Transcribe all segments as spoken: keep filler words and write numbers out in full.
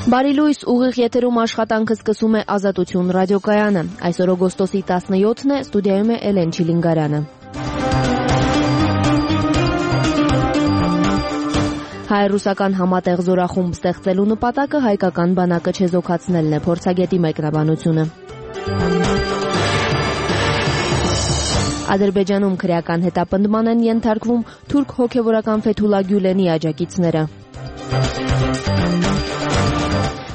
Բարի լույս, ուղիղ եթերում աշխատանքը սկսում է Ազատություն ռադիոկայանը։ Այսօր օգոստոսի տասնյոթն է, ստուդիայում է Էլեն Չիլինգարյանը։ Հայ-ռուսական համատեղ զորախումբ ստեղծելու նպատակը հայկական բանակը չեզոքացնելն է, փորձագետի մեկնաբանությունը։ Ադրբեջանում քրեական հետապնդման են ենթարկվում թուրք հոգևորական Ֆեթուլա Գյուլենի աջակիցները։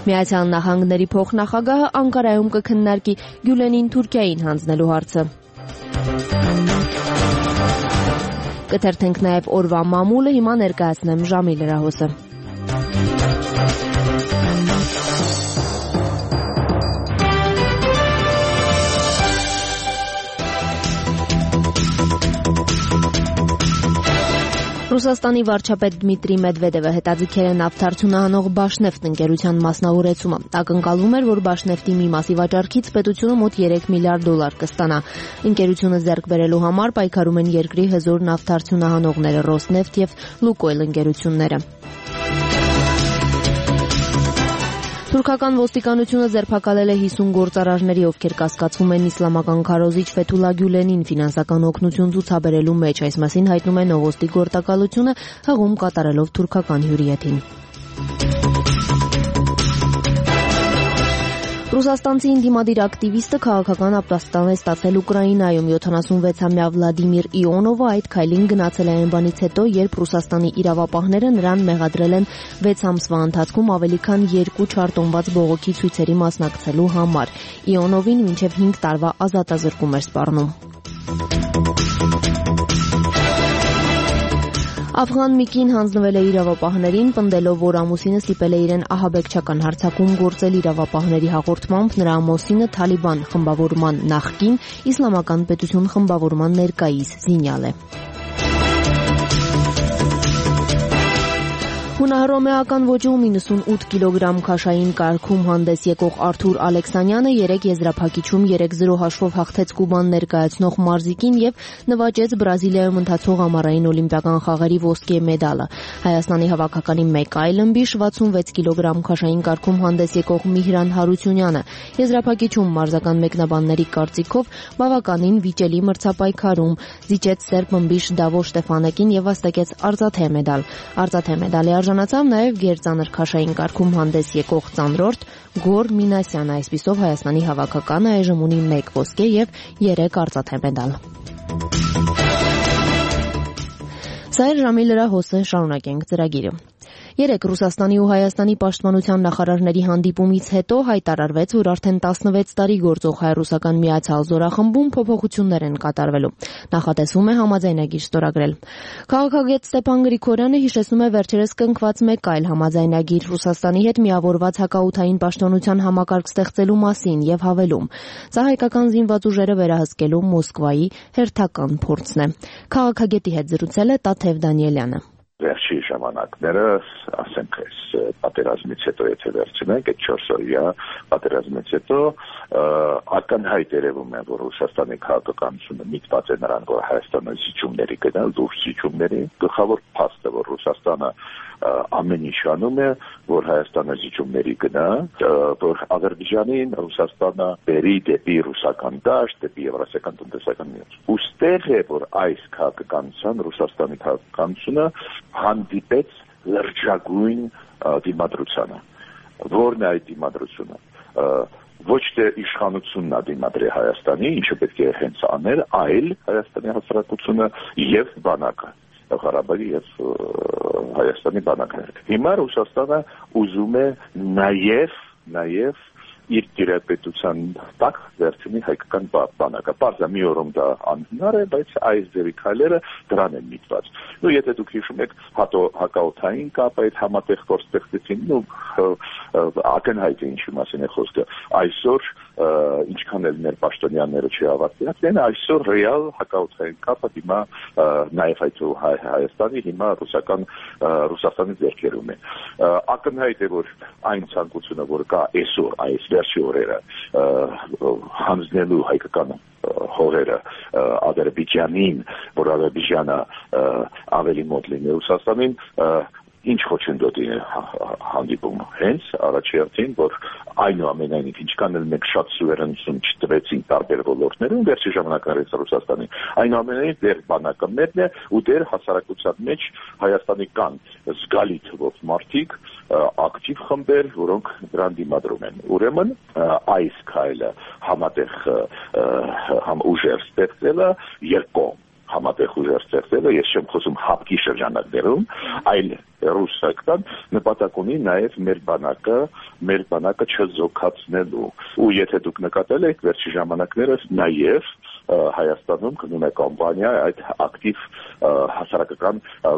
Միացյալ Նահանգների փոխնախագահը Անկարայում կքննարկի Գյուլենին Թուրքիային հանձնելու հարցը։ Կթերթենք նաև օրվա մամուլը, հիմա ներկայացնեմ ժամի լրահոսը։ Ռուսաստանի վարչապետ Դմիտրի Մեդվեդևը հետաձգել է նավթարդյունահանող Բաշնեֆտ ընկերության մասնավորեցումը։ Ակնկալվում էր, որ Բաշնեֆտի մի մասի վաճառքից պետությունը մոտ երեք միլիարդ դոլար կստանա։ Ընկերությունը ձեռք բերելու համար պայքարում են երկրի հզոր նավթարդյունահանողները Ռոսնեֆտ եւ Լուկոյլ ընկերությունները։ Թուրքական ոստիկանությունը ձերբակալել է հիսուն գործարարների, ովքեր կասկածվում են իսլամական քարոզիչ Ֆեթուլա Գյուլենին ֆինանսական օգնություն ցուցաբերելու մեջ, այս մասին հայտնում է Նովոստի գործակալությունը, հղում կատարելով թուրքական հյուրի եթին։ Ռուսաստանցի ընդդիմադիր ակտիվիստը քաղաքական ապաստան է ստացել Ուկրաինայում։ յոթանասունվեցամյա Վլադիմիր Իոնովը այդ քայլին գնացել է այն բանից հետո, երբ Ռուսաստանի իրավապահները նրան մեղադրել են վեց ամսվա ընթացքում ավելի քան երկու չարտոնված բողոքի ցույցերի մասնակցելու համար։ Իոնովին մինչև հինգ տարվա ազատազրկում էր սպառնում։ Աֆղան մի կին հանձնվել է իրավապահներին, պնդելով, որ ամուսինը ստիպել է իրեն ահաբեկչական հարձակում գործել իրավապահների հաղորդմամբ, նրա ամուսինը Թալիբան խմբավորման նախկին, իսլամական պետություն խմբավորման ներկայիս զինյալ է։ Հունահռոմեական ոճում իննսունութ կիլոգրամ քաշային կարգում հանդես եկող Արթուր Ալեքսանյանը երեք եզրափակիչում երեք զրո հաշվով հաղթեց Կուբան ներկայացնող մարզիկին եւ նվաճեց Բրազիլիայում ընթացող ամառային օլիմպիական խաղերի ոսկե մեդալը։ Հայաստանի հավաքականի մեկ այլ ըմբիշ վաթսունվեց կիլոգրամ քաշային կարգում հանդես եկող Միհրան Հարությունյանը եզրափակիչում մարզական մեկնաբանների կարծիքով բավականին վիճելի մրցապայքարում զիջեց սերբ ըմբիշ Դավո Շտեֆանեկին եւ վաստակեց արծաթե մեդալ։ Արծաթե մեդալի արժանացավ նաև գերծանր քաշային կարգում հանդես եկող ծանրորդ Գոր Մինասյանը, այսպիսով Հայաստանի հավաքականը այժմ ունի մեկ ոսկե եւ երեք արծաթե մեդալ։ Սա էր ժամի լրահոսը, շարունակենք ծրագիրը։ Երեկ Ռուսաստանի ու Հայաստանի պաշտպանության նախարարների հանդիպումից հետո հայտարարվեց, որ արդեն տասնվեց տարի գործող հայ-ռուսական միացյալ զորախմբում փոփոխություններ են կատարվելու։ Նախատեսվում է համաձայնագիր ստորագրել։ Քաղաքագետ Ստեփան Գրիգորյանը հիշեցնում է վերջերս կնքված մեկ այլ համաձայնագիր Ռուսաստանի հետ միավորված հակաօդային պաշտպանության համակարգ ստեղծելու մասին եւ հավելում. Սա հայկական զինված ուժերը վերահսկելու Մոսկվայի հերթական փորձն է։ Քաղաքագետի հետ զրուցել է Տաթև Դանիելյանը։ Վերջի ժամանակները, ասենք, այս պատերազմից հետո եթե վերցնենք, այդ չորս օրյա պատերազմից հետո ակնհայտ երևում է, որ Ռուսաստանի քաղաքականությունը միտված է նրան, որ Հայաստանը զիջումների գնալ, դուրս զիջումների, գլխավոր փաստը, որ Ռուսաստանը ամեն ինչ անում է, որ Հայաստանը զիջումների գնա, որ Ադրբեջանին Ռուսաստանը բերի դեպի ռուսական դաշտ, դեպի Եվրասիական տնտեսական միություն։ Ուստեղ է, որ այս քաղաքականության, Ռուսաստանի քաղաքականությունը հանդիպեց լրջագույն դիմադրությանը։ Որն է այդ դիմադրությունը։ Ոչ թե իշխանությունն է դիմադրի Հայաստանի, ինչը պետք է հենց աներ, այլ Հայաստանի հասարակությունը եւ բանակը։ Ղարաբաղի եւ Հայաստանի բանակները։ Հիմա Ռուսաստանը ուզում է նաեւ նաեւ իր դիրապետության տակ վերցնի հայկական բանակը։ Պարզա մի օրում դա անհնար է, բայց այս ձևի քայլերը դրան են միտված։ Ու եթե դուք հիշում եք հակաօդային կապ այդ համատեղ գործտեղծեցին, ու ակնհայտ է ինչի մասին է խոսքը։ Այսօր ինչքան էլ մեր պաշտոնյաները չհավատացին, են այսօր ռեալ հակաօդային կապը հիմա նաև այդ Հայաստանի հիմա ռուսական Ռուսաստանի ձեռքերում է։ Ակնհայտ է, որ այն ցանկությունը, որ կա այսօր այս վերջի օրերը հանձնելու հայկական հողերը Ադրբեջանին, որ Ադրբեջանը ավելի մոտ լինի Ռուսաստանին, ինչ խոչընդոտի է հանդիպում հենց առաջի հերթին, որ այնուամենայնիվ ինչքան էլ մենք շատ սուվերենություն չտվեցին տարբեր ոլորտներում վերջի ժամանակներից Ռուսաստանին, այնուամենայնիվ դեր բանակը մերն է ու դեր հասարակության մեջ Հայաստանի կան զգալի թվով մարդիկ, ակտիվ խմբեր, որոնք դրան դիմադրում են։ Ուրեմն այս քայլը համատեղ ուժեր ստեղծելը երկկողմ համատեղ ուժեր ստեղծելը, ես չեմ խոսում հապկի շրջանակներում, այլ ռուսական նպատակ ունի նաև մեր բանակը, մեր բանակը չզոքացնելու։ Ու եթե դուք նկատել եք վերջի ժամանակներս նաև Հայաստանում գնում է կամպանիա այդ ակտիվ հասարակական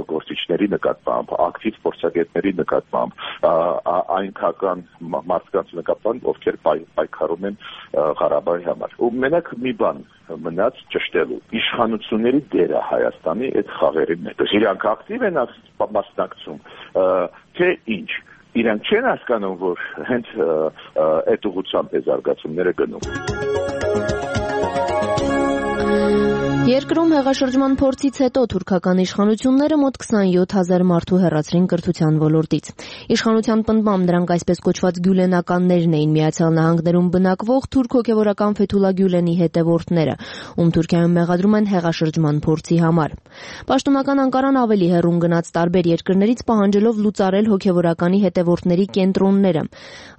գործիչների նկատմամբ, ակտիվ փորձագետների նկատմամբ, այն քաղաքական մարդկանց նկատմամբ, ովքեր պայքարում են Ղարաբաղի համար։ Ու մենակ մի բան մնաց ճշտելու իշխանությունների դերը Հայաստանի այդ խաղերի մեջ։ Իրանք ակտիվ են մասնակցում, թե ինչ։ Իրանք չեն հասկանում, որ հենց այդ ուղղությամբ է զարգացումները գնում։ Երկրում հեղաշրջման փորձից հետո թուրքական իշխանությունները մոտ քսանյոթ հազար մարդու հեռացրին կրթության ոլորտից։ Իշխանության պնդմամբ դրանք այսպես կոչված գյուլենականներն էին, Միացյալ Նահանգներում բնակվող թուրք հոգևորական Ֆեթուլա Գյուլենի հետևորդները, ում Թուրքիայում մեղադրում են հեղաշրջման փորձի համար։ Պաշտոնական Անկարան ավելի հեռուն գնաց տարբեր երկրներից պահանջելով լուծարել հոգևորականի հետևորդների կենտրոնները։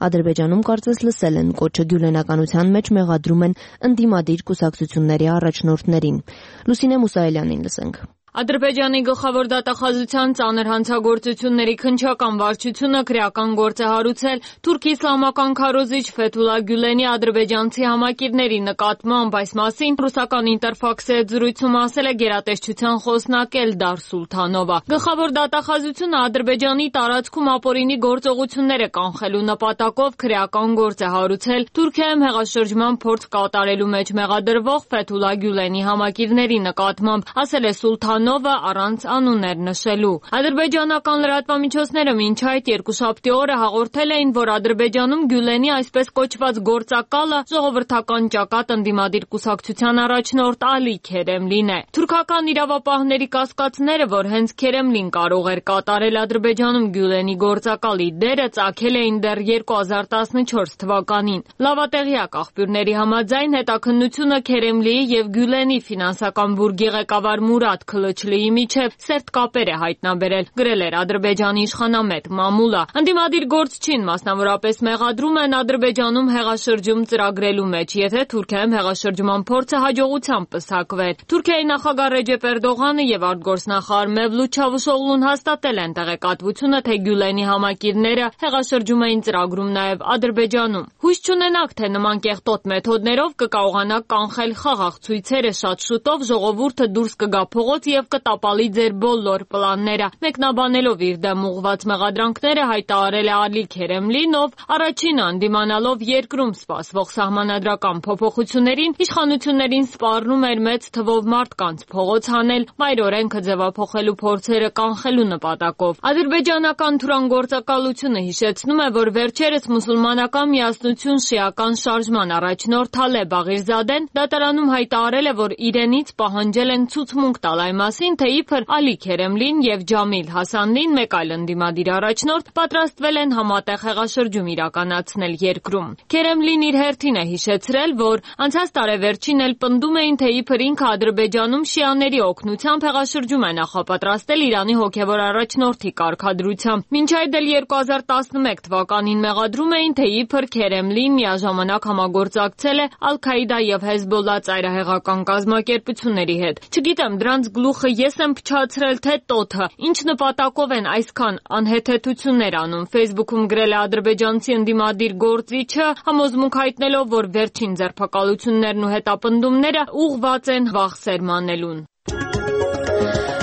Ադրբեջանում կարծես լսել են կոչը գյուլենականության մեջ մեղադրում են ընդդիմադիր կուսակցությունների առաջնորդներին։ Լուսինե Մուսայելյանին լսենք։ Ադրբեջանի գլխավոր դատախազության ծանր հանցագործությունների քննչական վարչությունը քրեական գործ է հարուցել թուրք իսլամական քարոզիչ Ֆեթուլա Գյուլենի ադրբեջանցի համակիրների նկատմամբ, այս մասին ռուսական Ինտերֆաքսի հետ զրույցում ասել է գերատեսչության խոսնակ Էլդար Սուլթանովը։ Գլխավոր դատախազությունը Ադրբեջանի տարածքում ապօրինի գործողությունները կանխելու նպատակով քրեական գործ է հարուցել Թուրքիայում հեղաշրջման փորձ կատարելու մեջ մեղադրվող Ֆեթուլա Գյուլենի համակիրների նկատմամբ, ասել է Սուլթանովը առանց անուններ նշելու։ Ադրբեջանական լրատվամիջոցները մինչ այդ երկուշաբթի օրը հաղորդել էին, որ Ադրբեջանում Գյուլենի այսպես կոչված գործակալը ժողովրդական ճակատ ընդդիմադիր կուսակցության առաջնորդ Ալի Քերեմլին է։ Թուրքական իրավապահների կասկածները, որ հենց Քերեմլին կարող էր կատարել Ադրբեջանում Գյուլենի գործակալի դերը, ծագել էին դեռ երկու հազար տասնչորս թվականին։ Լավատեղյակ աղբյուրների համաձայն հետաքննությունը Քերեմլիի եւ Գյուլենի ֆինանսական բուրգի ղեկավար Մուրադ Քլչլիի միջև սերտ կապեր է հայտնաբերել, գրել էր Ադրբեջանի իշխանամետ Մամուլա։ Ընդդիմադիր գործչին մասնավորապես մեղադրում են Ադրբեջանում հեղաշրջում ծրագրելու մեջ, եթե Թուրքիայում հեղաշրջման փորձը հաջողությամբ պսակվեր։ Թուրքիայի նախագահ Ռեջեփ Էրդողանը եւ արտգործնախարար Մևլութ Չավուշօղլուն հաստատել են տեղեկատվությունը, թե Գյուլենի համակիրները հեղաշրջում էին ծրագրում նաեւ Ադրբեջանում։ Հույս չունենաք, թե նման կեղտոտ մեթոդներով կկարողանաք կանխել խաղաղ ցույցերը, շատ շուտով ժողովուրդը դուրս կգա փողոց եւ կտապալի ձեր բոլոր պլանները։ Մեկնաբանելով իր դեմ ուղղված մեղադրանքները հայտարարել է Ալի Քերեմլին, ով առաջինը ընդդիմանալով երկրում սպասվող սահմանադրական փոփոխություններին, իշխանություններին սպառնում էր մեծ թվով մարդկանց փողոց հանել, մայր օրենքը ձևափոխելու փորձերը կանխելու նպատակով։ Ադրբեջանական թուրան գործակալությունը հիշեցնում է, որ վերջերս մուսուլմանական միասնություն շիական շարժման առաջնորդ Թալե Բաղիրզադեն դատարանում հայտարարել է, որ իրենից պահանջել են ցուցմունք տալ այն մասին, թե իբր Ալի Քերեմլին եւ Ջամիլ Հասանլին, մեկ այլ ընդդիմադիր առաջնորդ, պատրաստվել են համատեղ հեղաշրջում իրականացնել երկրում։ Քերեմլին իր հերթին է հիշեցրել, որ անցած տարեվերջին էլ պնդում էին, թե իբր ինքը Ադրբեջանում շիաների օգնությամբ հեղաշրջում է նախապատրաստել Իրանի հոգևոր առաջնորդի կարգադրությամբ։ Մինչ այդ էլ երկու հազար տասնմեկ թվականին մեղադրում էին, թե իբր Քերեմլին միաժամանակ համագործակցել է Ալ-Քաիդա եւ Հեզբոլլա ծայրահեղական կազմակերպությունների հետ։ Չգիտեմ, դրանց գլուխը ես եմ փչացրել, թե տոթը, ինչ նպատակով են այսքան անհեթեթություններ անում։ Facebook-ում գրել է ադրբեջանցի ընդդիմադիր գործիչը, համոզմունք հայտնելով, որ վերջին ձերբակալություններն ու հետապնդումները ուղղված են վախ սերմանելուն։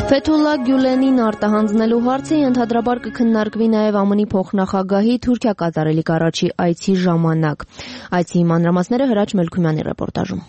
Ֆեթուլա Գյուլենին արտահանձնելու հարցը ընդհանրաբար կքննարկվի նաև ԱՄՆ-ի փոխնախագահի Թուրքիա կատարելիք առաջի այցի ժամանակ։ Այցի մանրամասները Հրաչ Մելքումյանի ռեպորտաժում։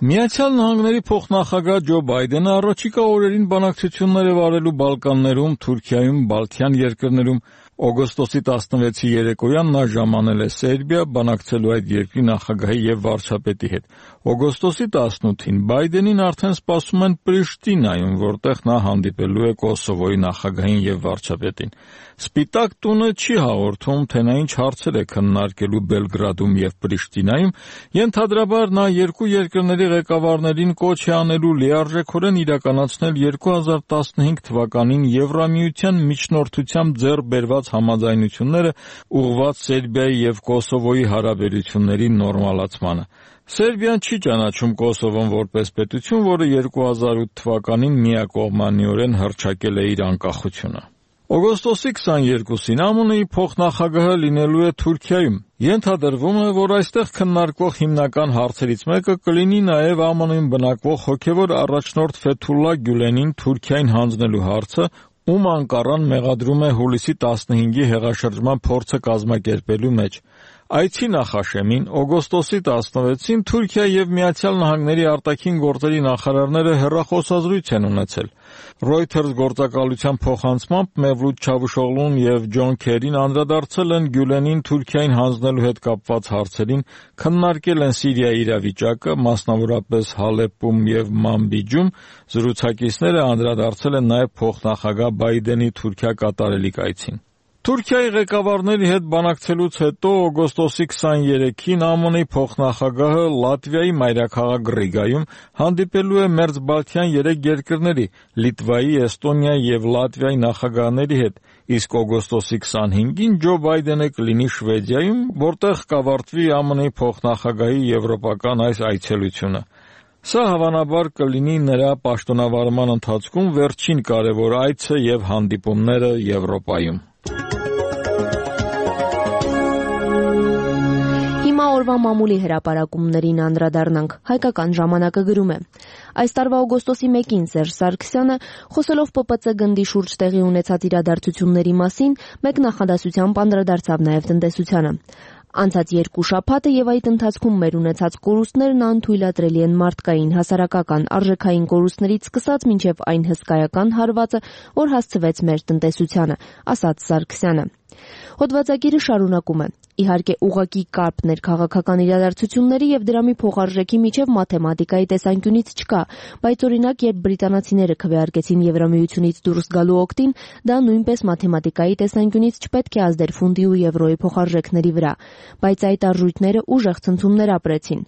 Միացյալ Նահանգների փոխնախագահ Ջո Բայդենը առաջիկա օրերին բանակցություններ է վարելու Բալկաններում, Թուրքիայում, Բալթյան երկրներում Օգոստոսի տասնվեցի երեկոյան նա ժամանել է Սերբիա, բանակցելու այդ երկրի նախագահի եւ վարչապետի հետ։ Օգոստոսի տասնութին Բայդենին արդեն սպասում են Պրիշտինայում, որտեղ նա հանդիպելու է Կոսովոյի նախագահին եւ վարչապետին։ Սպիտակ տունը չի հաղորդում, թե նա ինչ հարցեր է քննարկելու Բելգրադում եւ Պրիշտինայում, ենթադրաբար նա երկու երկրների ղեկավարներին կոչ է անելու լիարժեքորեն իրականացնել երկու հազար տասնհինգ թվականին Եվրամիության միջնորդությամբ ձեռք բերված համաձայնությունները ուղղված Սերբիայի եւ Կոսովոյի հարաբերությունների նորմալացմանը։ Սերբիան չի ճանաչում Կոսովոն որպես պետություն, որը երկու հազար ութ թվականին միակողմանիորեն հռչակել է իր անկախությունը։ Օգոստոսի քսաներկուսին ԱՄՆ-ի փոխնախագահը լինելու է Թուրքիայում։ Ենթադրվում է, որ այստեղ քննարկվող հիմնական հարցերից մեկը կլինի նաև ԱՄՆ-ում բնակվող հոգևոր առաջնորդ Ֆեթուլլա Գյուլենին Թուրքիային հանձնելու հարցը, ում Անկարան մեղադրում է հուլիսի տասնհինգի հեղաշրջման փորձը կազմակերպելու մեջ։ Այցի նախաշեմին օգոստոսի տասնվեցին Թուրքիա եւ Միացյալ Նահանգների արտաքին գործերի նախարարները հեռախոսազրույց են ունեցել։ Reuters գործակալության փոխանցմամբ Մևլութ Չավուշօղլուն եւ Ջոն Քերին անդրադարձել են Գյուլենին Թուրքիային հանձնելու հետ կապված հարցերին, քննարկել են Սիրիայի իրավիճակը, մասնավորապես Հալեպում եւ Մանբիջում։ Զրուցակիցները անդրադարձել են նաեւ փոխնախագահ Բայդենի Թուրքիա կատարելիք այցին։ Թուրքիայի ղեկավարների հետ բանակցելուց հետո օգոստոսի քսաներեքին ԱՄՆ-ի փոխնախագահը Լատվիայի մայրաքաղաք Ռիգայում հանդիպելու է Մերձբալթյան երեք երկրների՝ Լիտվայի, Էստոնիայի եւ Լատվիայի նախագահների հետ, իսկ օգոստոսի քսանհինգին Ջո Բայդենը կլինի Շվեդիայում, որտեղ կավարտվի ԱՄՆ-ի փոխնախագահի եվրոպական այս այցելությունը։ Սա հավանաբար կլինի նրա պաշտոնավարման ընթացքում վերջին կարևոր այցը եւ հանդիպումները Եվրոպայում։ Հիմա օրվա մամուլի հրապարակումներին անդրադառնանք։ Հայկական ժամանակը գրում է. Այս տարվա օգոստոսի մեկին Սերժ Սարգսյանը, խոսելով Պ Պ Ց գնդի շուրջ տեղի ունեցած իրադարձությունների մասին, մեկ նախադասությամբ անդրադարձավ նաև տնտեսությանը։ Անցած երկու շաբաթը եւ այդ ընթացքում մեր ունեցած կորուստներն անթույլատրելի են մարդկային, հասարակական, արժեքային կորուստներից սկսած մինչեւ այն հսկայական հարվածը, որ հասցվեց մեր տնտեսությանը, ասաց Սարգսյանը։ Հոդվածագիրը շարունակում է. Իհարկե ուղղակի կապներ քաղաքական իրադարձությունների եւ դրամի փոխարժեքի միջև մաթեմատիկայի տեսանկյունից չկա, բայց օրինակ երբ բրիտանացիները քվեարկեցին Եվրամիությունից դուրս գալու օգտին, դա նույնպես մաթեմատիկայի տեսանկյունից չպետք է ազդեր ֆունդի ու եվրոյի փոխարժեքների վրա, բայց այդ արժույթները ուժեղ ցնցումներ ապրեցին։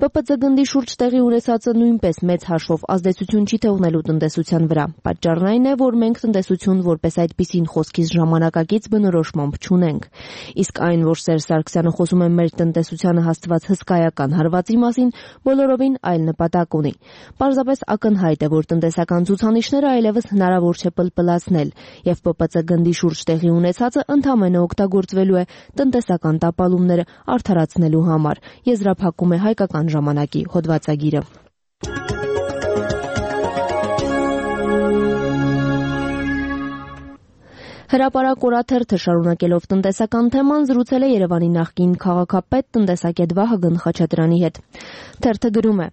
Պ Պ Ց գնդի շուրջ տեղի ունեցածը նույնպես մեծ հաշվով ազդեցություն չի թողնելու տնտեսության վրա։ Պատճառն այն է, որ մենք տնտեսություն որպես այդպիսին խոսքից ժամանակակից բնորոշմամբ չունենք։ Իսկ այն, որ Սերժ Սարգսյանը խոսում է մեր տնտեսությանը հասցված հսկայական հարվածի մասին, բոլորովին այլ նպատակ ունի։ Պարզապես ակնհայտ է, որ տնտեսական ցուցանիշները այլևս հնարավոր չէ պլպլացնել, եւ Պ Պ Ց գնդի շուրջ տեղի ունեցածը ընդհանրապես օգտագործվելու է տնտեսական տապալումները արդարացնելու համար, եզրափակում է Հայկական ժամանակի հոդվածագիրը։ Հրապարակ օրաթերթը շարունակելով տնտեսական թեման զրուցել է Երևանի նախկին քաղաքապետ տնտեսագետ Վահագն Խաչատրյանի հետ։ Թերթը գրում է.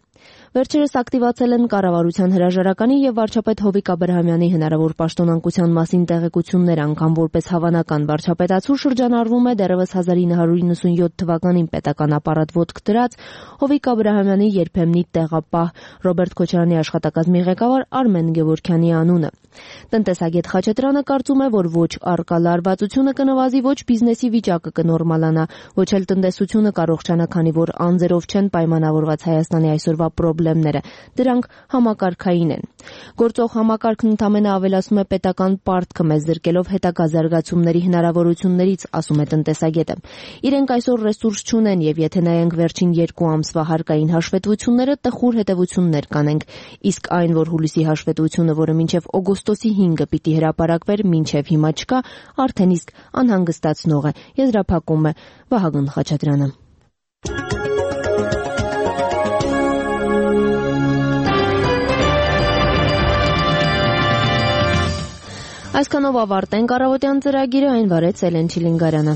Վերջերս ակտիվացել են կառավարության հրաժարականի եւ վարչապետ Հովիկ Աբրահամյանի հնարավոր պաշտոնանկության մասին տեղեկություններ, անգամ որպես հավանական վարչապետացու շրջանառվում է դեռևս հազար ինը հարյուր իննսունյոթ թվականին պետական ապարատ ոտք դրած Հովիկ Աբրահամյանի երբեմնի տեղապահ Ռոբերտ Քոչարյանի աշխատակազմի ղեկավար Արմեն Գևորգյանի անունը։ Տնտեսագետ Խաչատրյանը կարծում է, որ ոչ առկա լարվածությունը կնվազի, ոչ բիզնեսի վիճակը կնորմալանա, ոչ էլ տնտեսությունը կառողջանա, քանի որ անձերով չեն պայմանավորված Հայաստանի այսօրվա պրոբլեմները, դրանք համակարգային են։ Գործող համակարգն ընդամենը ավելացնում է պետական պարտքը մեզ զրկելով հետագա զարգացումների հնարավորություններից, ասում է տնտեսագետը։ Իրենք այսօր ռեսուրս չունեն եւ եթե նայենք վերջին երկու ամսվա հարկային հաշվետվությունները, տխուր հետևություններ կանենք, իսկ այն, որ հուլիսի հաշվետվությունը, որը մինչեւ օգոստոսի հինգը պիտի հրապարակվեր, մինչեւ հիմա չկա, արդեն իսկ անհանգստացնող է, եզրափակում է Վահագն Խաչատրյանը։ Այսքանով ավարտենք առավոտյան ծրագիրը, այն վարեց Էլեն Չիլինգարյանը։